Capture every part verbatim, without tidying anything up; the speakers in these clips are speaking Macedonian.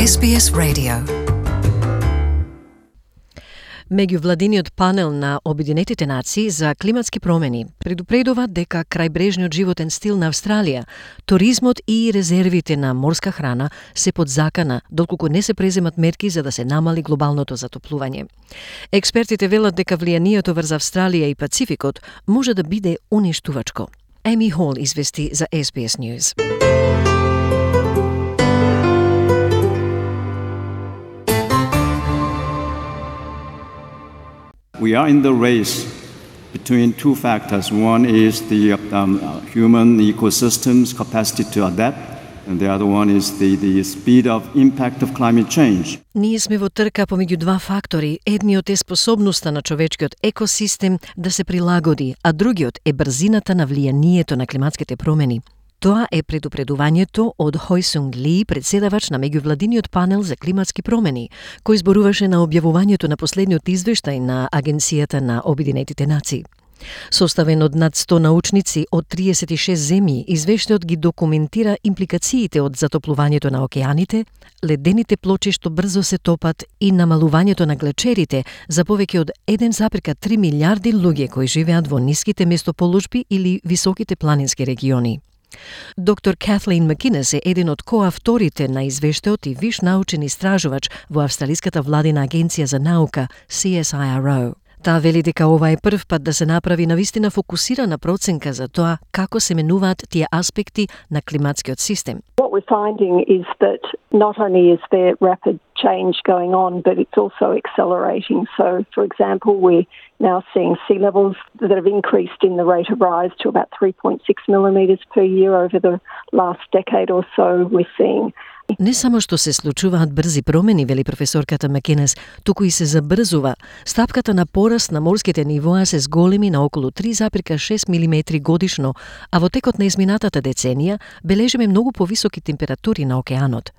Ес Би Ес Radio. Меѓувладиниот панел на Обединетите нации за климатски промени предупредува дека крајбрежниот животен стил на Австралија, туризмот и резервите на морска храна се под закана доколку не се преземат мерки за да се намали глобалното затоплување. Експертите велат дека влијанието врз Австралија и Пацификот може да биде уништувачко. Еми Хол извести за Ес Би Ес News. We are in the race between two factors. One is the um, human ecosystem's capacity to adapt, and the other one is the, the speed of impact of climate change. Ние сме во трка помеѓу два фактори. Едниот е способноста на човечкиот екосистем да се прилагоди, а другиот е брзината на влијанието на климатските промени. Тоа е предупредувањето од Хой Сунг Ли, председавач на меѓувладиниот панел за климатски промени, кој зборуваше на објавувањето на последниот извештај на Агенцијата на Обединетите нации. Составен од над сто научници од триесет и шест земји, извештајот ги документира импликациите од затоплувањето на океаните, ледените плочи што брзо се топат и намалувањето на глечерите за повеќе од еден зарез три милијарди луѓе кои живеат во ниските местоположби или високите планински региони. Доктор Катлин Макинес е еден од коавторите на извештајот и виш научен истражувач во Австралиската владина агенција за наука Си Ес Ай Ар О. Таа вели дека ова е прв пат да се направи навистина фокусирана проценка за тоа како се менуваат тие аспекти на климатскиот систем. What we're finding is that not only is there rapid change going on, but it's also accelerating. So, for example, we're now seeing sea levels that have increased in the rate of rise to about three point six millimetres per year over the last decade or so. We're seeing Не само што се случуваат брзи промени, вели професорката Макинес, туку и се забрзува. Стапката на пораст на морските нивоа се зголеми на околу три зарез шест милиметри годишно, а во текот на изминатата деценија бележиме многу повисоки температури на океанот.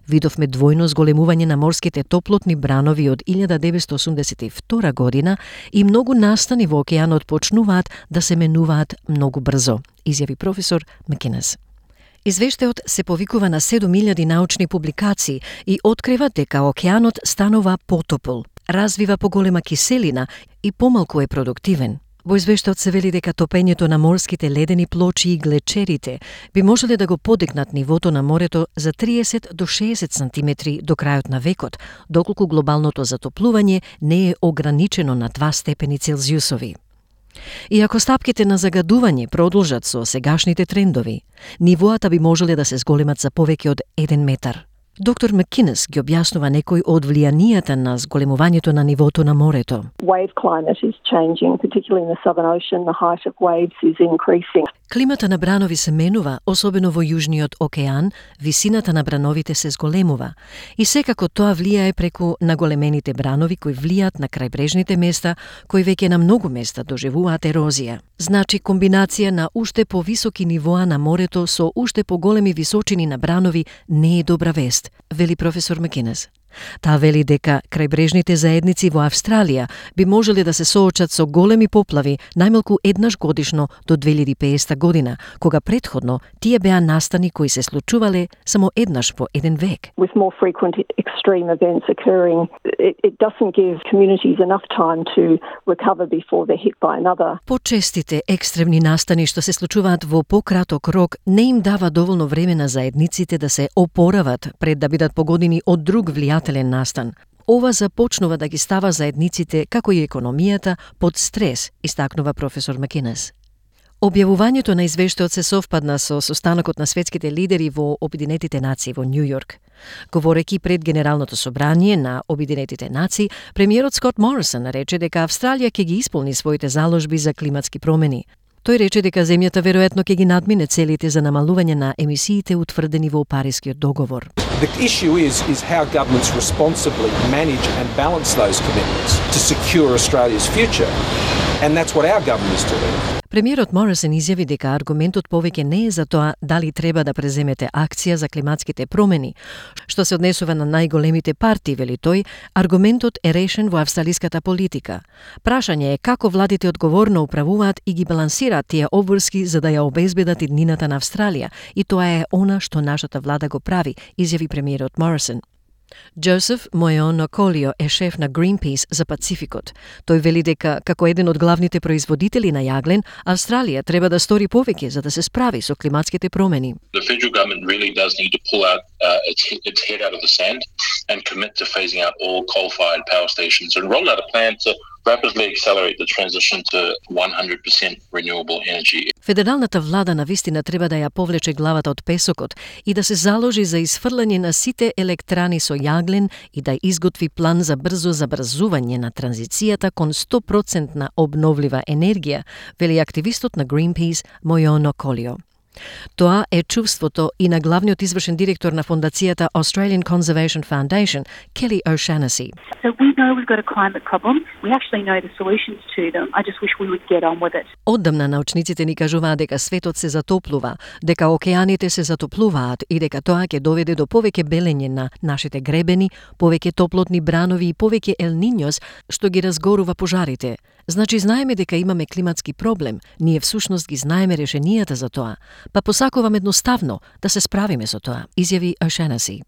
Видовме двојно зголемување на морските топлотни бранови од илјада деветстотини осумдесет и втора година и многу настани во океанот почнуваат да се менуваат многу брзо, изјави професор Макинес. Извештајот се повикува на седум илјади научни публикации и открива дека океанот станува потопол, развива поголема киселина и помалку е продуктивен. Во извештајот се вели дека топењето на морските ледени плочи и глечерите би можеле да го подигнат нивото на морето за триесет до шеесет сантиметри до крајот на векот, доколку глобалното затоплување не е ограничено на два степени Целзиусови. И ако стапките на загадување продолжат со сегашните трендови, нивоата би можеле да се зголемат за повеќе од еден метар. Доктор Макинес ги објаснува некои од влијанијата на зголемувањето на нивото на морето. Wave climate is changing, particularly in the Southern Ocean. The height of waves is increasing. Климата на бранови се менува, особено во Јужниот океан, висината на брановите се зголемува. И секако тоа влијае преку наголемените бранови кои влијаат на крајбрежните места, кои веќе на многу места доживуваат ерозија. Значи комбинација на уште повисоки нивоа на морето со уште поголеми височини на бранови не е добра вест, вели професор Макинес. Таа вели дека крајбрежните заедници во Австралија би можеле да се соочат со големи поплави најмалку еднаш годишно до две илјади и педесета година, кога претходно тие беа настани кои се случувале само еднаш во еден век. With more frequent extreme events occurring, it, it doesn't give communities enough time to recover before they're hit by another. Почестите екстремни настани што се случуваат во пократок рок не им дава доволно време на заедниците да се опорават пред да бидат погодени од друг влијател настан. Ова започнува да ги става заедниците, како и економијата, под стрес, истакнува професор Макинес. Објавувањето на извештајот се совпадна со состанокот на светските лидери во Обединетите нации во Њу Јорк. Говорејќи пред Генералното собрание на Обединетите нации, премиерот Скот Морисон рече дека Австралија ќе ги исполни своите заложби за климатски промени. Тој рече дека земјата веројатно ќе ги надмине целите за намалување на емисиите утврдени во Парискиот договор. The issue is is how governments responsibly manage and balance those commitments to secure Australia's future. And that's what our government is doing. Премиерот Морисон изјави дека аргументот повеќе не е за тоа дали треба да преземете акција за климатските промени. Што се однесува на најголемите партии, вели тој, аргументот е решен во австралиската политика. Прашање е како владите одговорно управуваат и ги балансираат тие обврски за да ја обезбедат иднината на Австралија, и тоа е она што нашата влада го прави, изјави премиерот Морисон. Joseph Moyono Kolio е шеф на Greenpeace за Пацификот. Тој вели дека, како еден од главните производители на јаглен, Австралија треба да стори повеќе за да се справи со климатските промени. The federal government really does need to pull out uh, its, its head out of the sand and commit to phasing out all coal-fired power stations and roll out a plan to rapidly accelerate the transition to one hundred percent renewable energy. Федералната влада навистина треба да ја повлече главата од песокот и да се заложи за изфрлање на сите електрани со јаглен и да изготви план за брзо забрзување на транзицијата кон сто проценти на обновлива енергија, вели активистот на Greenpeace Moyono Kolio. Тоа е чувството и на главниот извршен директор на фондацијата Australian Conservation Foundation, Kelly O'Shannessy. So we know we've got a climate problem. We actually know the solutions to them. I just wish we would get on with it. Оддамна научниците ни кажуваат дека светот се затоплува, дека океаните се затоплуваат и дека тоа ќе доведе до повеќе белење на нашите гребени, повеќе топлотни бранови и повеќе Ел Ниньос, што ги разгорува пожарите. Значи знаеме дека имаме климатски проблем, ние всушност ги знаеме решенијата за тоа, па посакувам едноставно да се справиме со тоа, изјави O'Shannessy.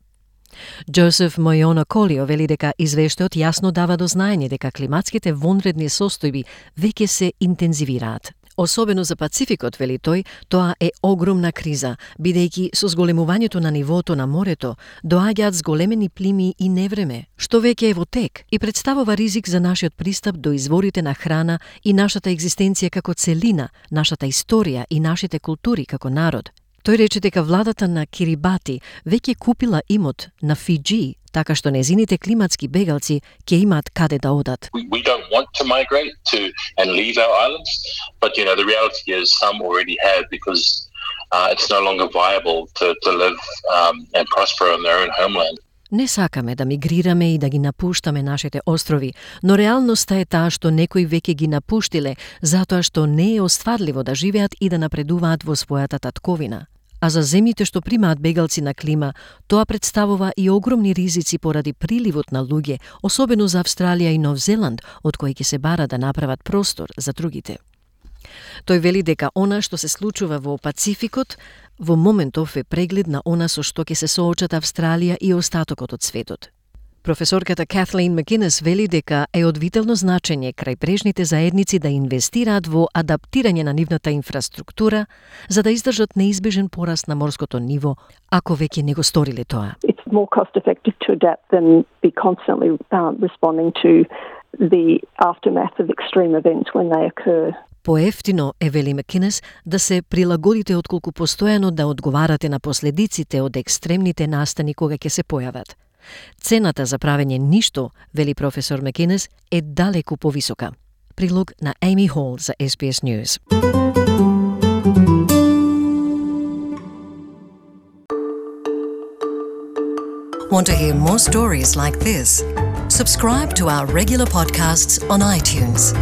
Joseph Moyono Kolio вели дека извештајот јасно дава до знаење дека климатските вонредни состојби веќе се интензивираат. Особено за Пацификот, вели тој, тоа е огромна криза, бидејќи со зголемувањето на нивото на морето доаѓаат зголемени плими и невреме, што веќе е во тек и представува ризик за нашиот пристап до изворите на храна и нашата екзистенција како целина, нашата историја и нашите култури како народ. Тој рече дека владата на Кирибати веќе купила имот на Фиџи, така што незините климатски бегалци ќе имаат каде да одат. We, we don't want to migrate to and leave our islands, but you know the reality is some already have because uh, it's no longer viable to, to live um, and prosper on their own homeland. Не сакаме да мигрираме и да ги напуштаме нашите острови, но реалноста е таа што некои веќе ги напуштиле затоа што не е остварливо да живеат и да напредуваат во својата татковина. А за земјите што примаат бегалци на клима, тоа представува и огромни ризици поради приливот на луѓе, особено за Австралија и Нов Зеланд, од кои ќе се бара да направат простор за другите. Тој вели дека она што се случува во Пацификот во моментов е преглед на она со што ќе се соочат Австралија и остатокот од светот. Професорката Kathleen McInnes вели дека е од витално значење крајбрежните заедници да инвестираат во адаптирање на нивната инфраструктура за да издржат неизбежен пораст на морското ниво, ако веќе не го сториле тоа. It's more cost effective to adapt than be constantly uh, responding to the aftermath of extreme events when they occur. Поевтино е, вели McInnes, да се прилагодите отколку постојано да одговарате на последиците од екстремните настани кога ќе се појават. Цената за правење ништо, вели професор McInnes, е далеку повисока. Прилог на Amy Hall за S B S News. Want to hear more stories like this? Subscribe to our regular podcasts on iTunes.